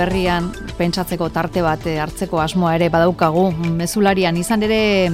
berrian pentsatzeko tarte bat hartzeko asmoa ere badaukagu. Mezularian izan ere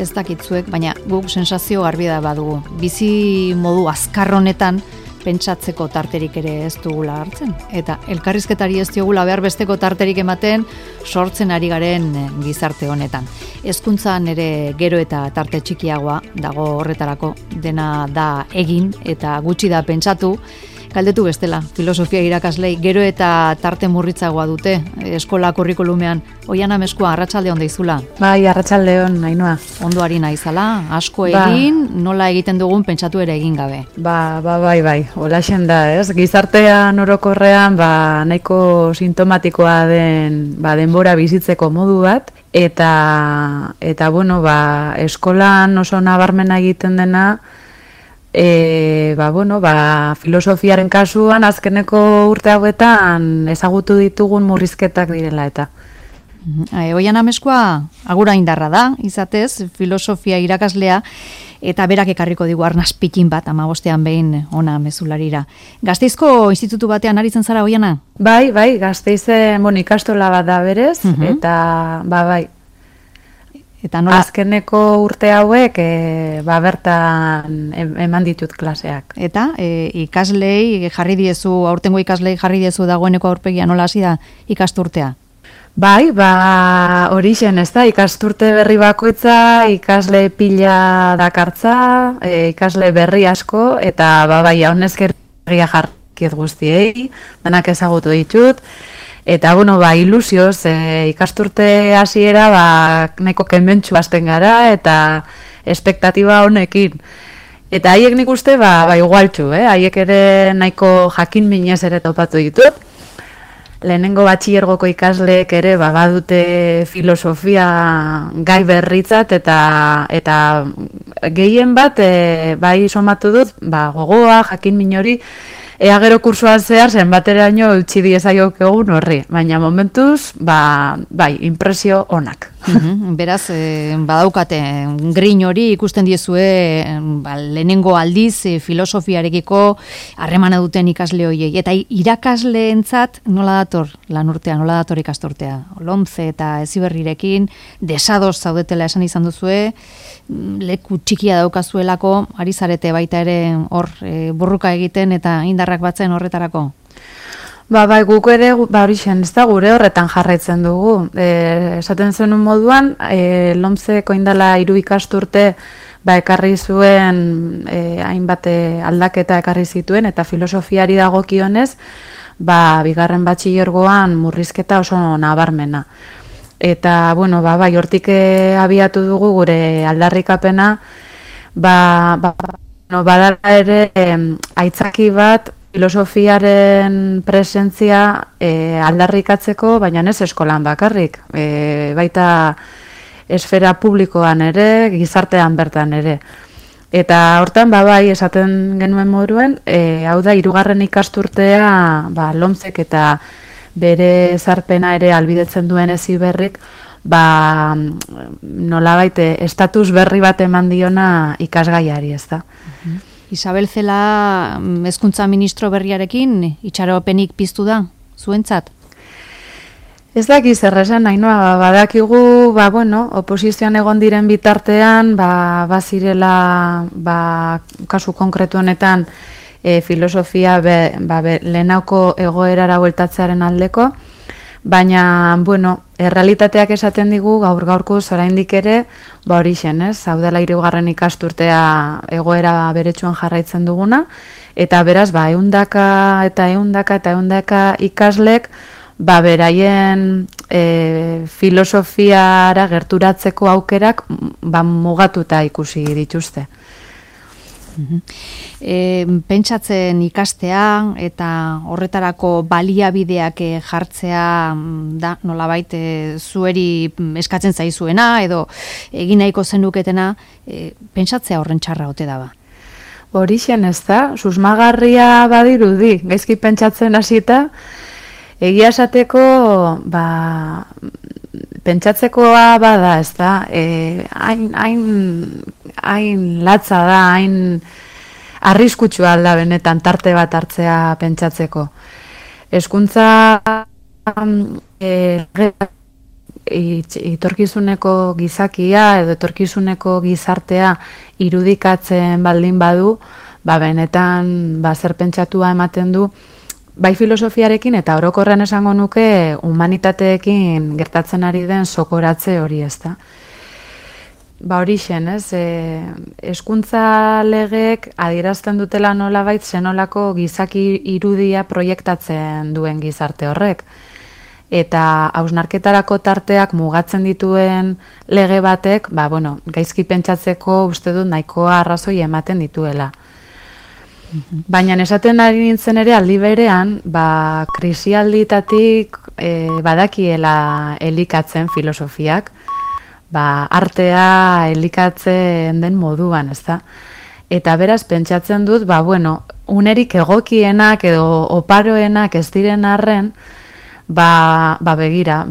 ez dakitzuek, baina guk sensazio garbi da badugu. Bizi modu azkar honetan pentsatzeko tarterik ere ez dugula hartzen. Eta elkarrizketari ez diogula behar besteko tarterik ematen sortzen ari garen gizarte honetan. Hezkuntzan ere gero eta tarte txikiagoa dago horretarako, dena da egin eta gutxi da pentsatu. Galdetu bestela, filosofia irakaslei gero eta tarte murritzagoa dute eskola kurrikulumean. Oiana Meskua, arratsalde on deizula. Bai, arratsalde on, Ainhoa. Ondo ari naizala, asko egin, nola egiten dugun pentsatu ere egin gabe. Bai, holaxen da, ez? Gizartean orokorrean, nahiko sintomatikoa den, denbora bizitzeko modu bat, eta bueno, eskolan oso nabarmena egiten dena, filosofiaren kasuan azkeneko urte hauetan ezagutu ditugun murrizketak direla eta. Oiana Meskua agura indarra da, izatez, filosofia irakaslea, eta berak ekarriko digu arnaz pikin bat, 15ean behin ona mezularira. Gasteizko institutu batean aritzen zara, Oiana? Bai, Gasteizen ikastola bat da berez, eta bai. Eta nola? Azkeneko urte hauek bertan eman ditut klaseak. Eta ikaslei jarri diezu, aurtengo ikaslei jarri diezu dagoeneko aurpegia, nola hasi da ikasturtea? Bai, horixen, ez da, ikasturte berri bakoitza, ikasle pila dakartza, ikasle berri asko, eta honezkerria jarkiet guztiei, denak ezagutu ditut. Eta, ilusioz, ikasturte hasiera nahiko kementsu hasten gara, eta espektatiba honekin. Eta haiek nik uste, igualtxu, haiek ere nahiko jakin minez ere topatu ditut. Lehenengo batxilergoko ikasleek ere badute filosofia gai berritzat, eta gehien bat, bai somatu dut, gogoa, jakin min hori, ea gero kursuan zehar zenbateraino utzi diezaiok egun horri, baina momentuz, impresio onak. Beraz, badaukate, grin hori ikusten diezue lehenengo aldiz filosofiarekiko harremana duten ikasle horiei. Eta irakasleentzat nola dator lanurtea, nola dator ikasturtea? Lomce eta Heziberrirekin desados zaudetela esan izan duzue, leku txikia daukazuelako, ari zarete baita ere hor burruka egiten eta indarrak batzen horretarako? Guk ere, horixen, ez da gure horretan jarraitzen dugu. Esaten zenun moduan, Lomceko indala 3 ikasturte ekarri zuen, hainbat aldaketa ekarri zituen, eta filosofiari dagokionez, bigarren batxilergoan murrizketa oso nabarmena. Eta, hortik abiatu dugu gure aldarrikapena, badala ere aitzaki bat, filosofiaren presentzia aldarrikatzeko, baina ez eskolan bakarrik, baita esfera publikoan ere, gizartean bertan ere. Eta hortan, esaten genuen moduen, hau da, 3. ikasturtea, Lomcek eta bere ezarpena ere albidetzen duen Heziberrik, nolabait estatus berri bat eman diona ikasgaiari, ez da. Isabel Cela hezkuntza ministro berriarekin itxaropenik piztu da, zuentzat? Ez dakiz erresan, Ainhoa, badakigu, oposizioan egon diren bitartean, bazirela, kasu konkretu honetan, filosofia lehenauko egoerara bueltatzearen aldeko, baina, errealitateak esaten digu gaur-gaurko oraindik ere, horixen, hau dela 3. ikasturtea egoera beretsuan jarraitzen duguna, eta beraz, ehundaka ikaslek, beraien filosofiara gerturatzeko aukerak mugatuta ikusi dituzte. Pentsatzen ikastea eta horretarako baliabideak jartzea da nolabait zueri eskatzen zaizuena edo egin nahiko zenuketena, pentsatzea horren txarra ote da ba? Horixen ez da, susmagarria badirudi, gaizki pentsatzen hasita, egia esateko, pentsatzekoa bada, ez da, hain latza da, hain arriskutsua alda benetan tarte bat hartzea pentsatzeko. Hezkuntza etorkizuneko gizakia edo etorkizuneko gizartea irudikatzen baldin badu, benetan zer pentsatua ematen du, bai filosofiarekin eta orokorren esango nuke humanitateekin gertatzen ari den sokoratze hori, ezta. Horixen, hezkuntza legeek adierazten dutela nolabait zenolako gizaki irudia proiektatzen duen gizarte horrek. Eta hausnarketarako tarteak mugatzen dituen lege batek, gaizki pentsatzeko uste dut nahikoa arrazoi ematen dituela. Baina esaten ari nintzen ere aldi berean, krisialditatik badakiela elikatzen filosofiak, artea elikatzen den moduan, ezta? Eta beraz pentsatzen dut, unerik egokienak edo oparoenak ez diren arren, begira,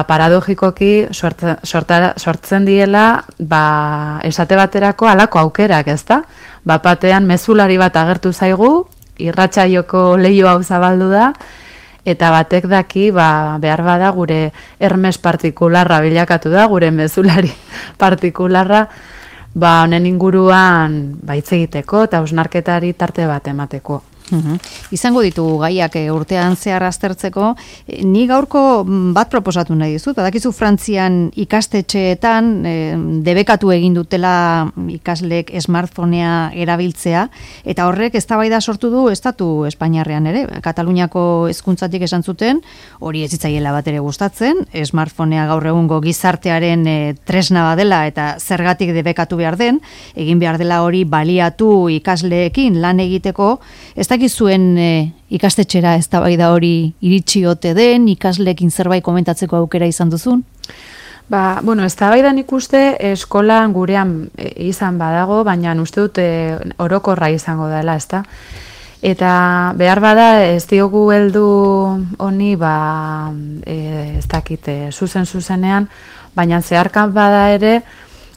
paradogikoki sortzen diela, esate baterako halako aukerak, ezta? Batean mezulari bat agertu zaigu, irratsaioko leiho hau zabaldu da, eta batek daki, behar bada gure Hermes partikularra bilakatu da, gure mezulari partikularra, honen inguruan hitz egiteko eta hausnarketari tarte bat emateko. Izango ditugu gaiak urtean zehar aztertzeko, ni gaurko bat proposatu nahi dizut, badakizu Frantzian ikastetxeetan debekatu egin dutela ikasleek smartphonea erabiltzea, eta horrek eztabaida sortu du estatu Espainiarrean ere, Kataluniako hezkuntzatik esan zuten, hori ez zitzaiela bat ere gustatzen, smartphonea gaur egungo gizartearen tresna badela eta zergatik debekatu behar den, egin behar dela hori baliatu ikasleekin lan egiteko, ez dakizuen ikastetxera eztabaida hori iritsi ote den, ikasleekin zerbait komentatzeko aukera izan duzun? Eztabaidan ikuste eskolan gurean izan badago, baina uste dut orokorra izango dela, ezta? Eta behar bada ez diogu heldu honi, ez dakit, zuzenean, baina zeharkan bada ere,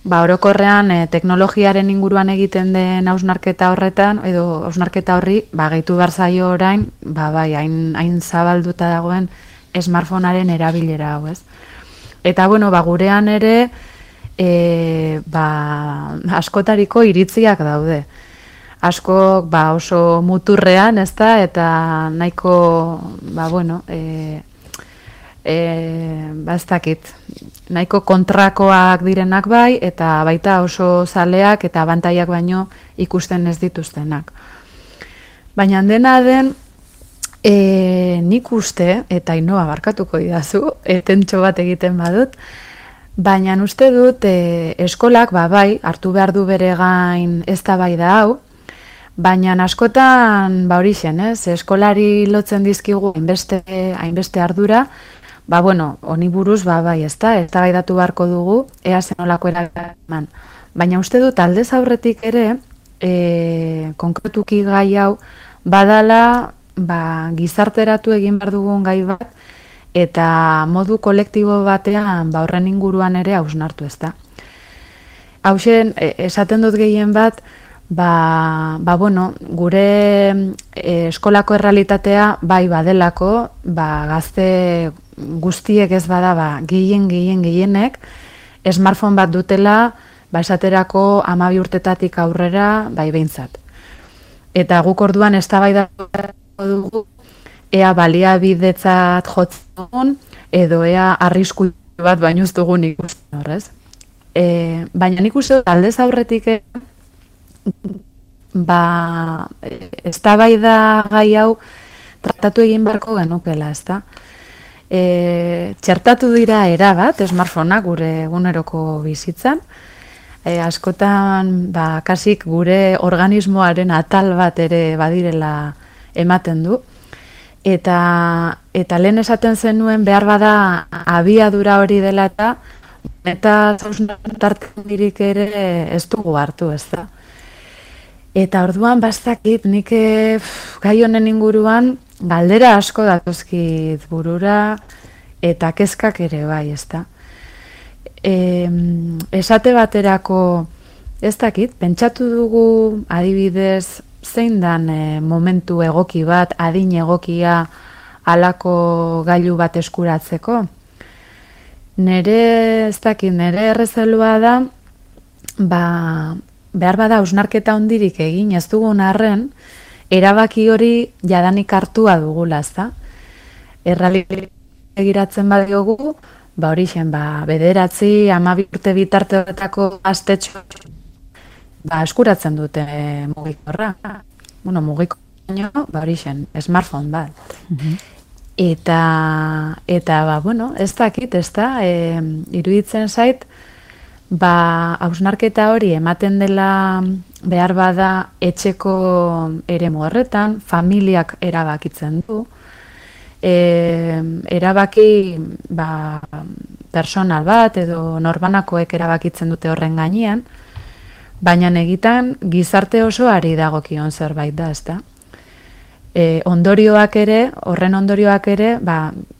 orokorrean teknologiaren inguruan egiten den hausnarketa horretan, edo hausnarketa horri, gehitu behar zaio orain, hain zabalduta dagoen smartphonearen erabilera hau, ez? Eta, gurean ere, askotariko iritziak daude. Askok, oso muturrean, ez da, eta nahiko, ez dakit, nahiko kontrakoak direnak bai, eta baita oso zaleak eta abantaiak baino ikusten ez dituztenak. Baina dena den, nik uste, eta Ainoa barkatuko didazu, tentxo bat egiten badut, baina uste dut eskolak, hartu behar du bere gain eztabaida hau, baina askotan, horixen, eskolari lotzen dizkigu hainbeste ardura, honi buruz, eztabaidatu beharko dugu, ea zenolako eraman. Baina uste dut aldez aurretik ere, konkretuki gai hau, badala, gizarteratu egin behar dugun gai bat, eta modu kolektibo batean, horren inguruan ere hausnartu, ez da. Hauxen, esaten dut gehien bat, gure eskolako errealitatea badelako, gazte guztiek ez bada, gehienek, smartphone bat dutela, esaterako 12 urtetatik aurrera, behintzat. Eta guk orduan eztabaidatu dugu, ea baliabidetzat jotzen dugun, edo ea arrisku bat baino ez dugun ikusten horrez. Baina nik uste dut aldez aurretik eztabaida gai hau tratatu egin beharko genukela, ezta? Txertatu dira erabat, smartphoneak gure eguneroko bizitzan, askotan kasik gure organismoaren atal bat ere badirela ematen du, eta lehen esaten zenuen behar bada abiadura hori dela eta zauznatartzen dirik ere ez dugu hartu, ez da. Eta orduan bastakit nik gai honen inguruan galdera asko datozkit burura eta kezkak ere bai, ez da. Esate baterako ez dakit, pentsatu dugu adibidez zein dan momentu egoki bat, adin egokia halako gailu bat eskuratzeko. Nere errezelua da, behar bada hausnarketa hondirik egin ez dugun arren, erabaki hori jadanik hartua dugula, ezta? Errealitate begiratzen badiogu, horixen, 9, 12 urte bitarte horretako gaztetxo eskuratzen dute mugikorra. Bueno, mugikorra, horixen, smartphone bat. Eta ez dakit, ez da, iruditzen zait, hausnarketa hori ematen dela behar bada etxeko eremu horretan, familiak erabakitzen du, erabaki personal bat edo norbanakoek erabakitzen dute horren gainean, baina egitan gizarte osoari dagokion zerbait da, ezta? Horren ondorioak ere,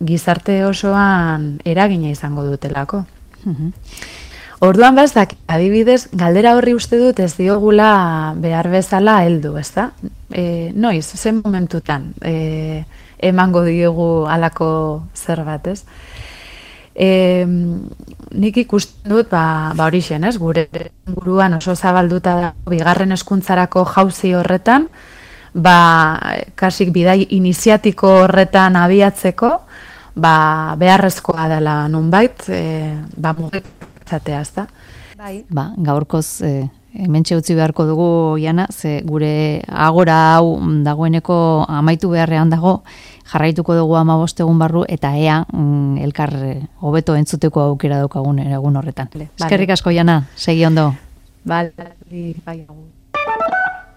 gizarte osoan eragina izango dutelako. Orduan adibidez, galdera horri uste dut ez diogula behar bezala heldu, ezta? Noiz, zen momentutan emango diogu halako zerbait, ez? Nik ikusten dut, horixen, ez? Gure buruan oso zabalduta da, bigarren hezkuntzarako jauzi horretan, kasik bidai iniziatiko horretan abiatzeko, beharrezkoa dela nunbait, mugitzatea, ezta? Gaurkoz hementxe utzi beharko dugu, Jana, ze gure agora hau dagoeneko amaitu beharrean dago, jarraituko dugu 15 egun barru, eta ea elkar hobeto entzuteko aukera daukagun egun horretan. Eskerrik asko, Jana, segi ondo. Bai,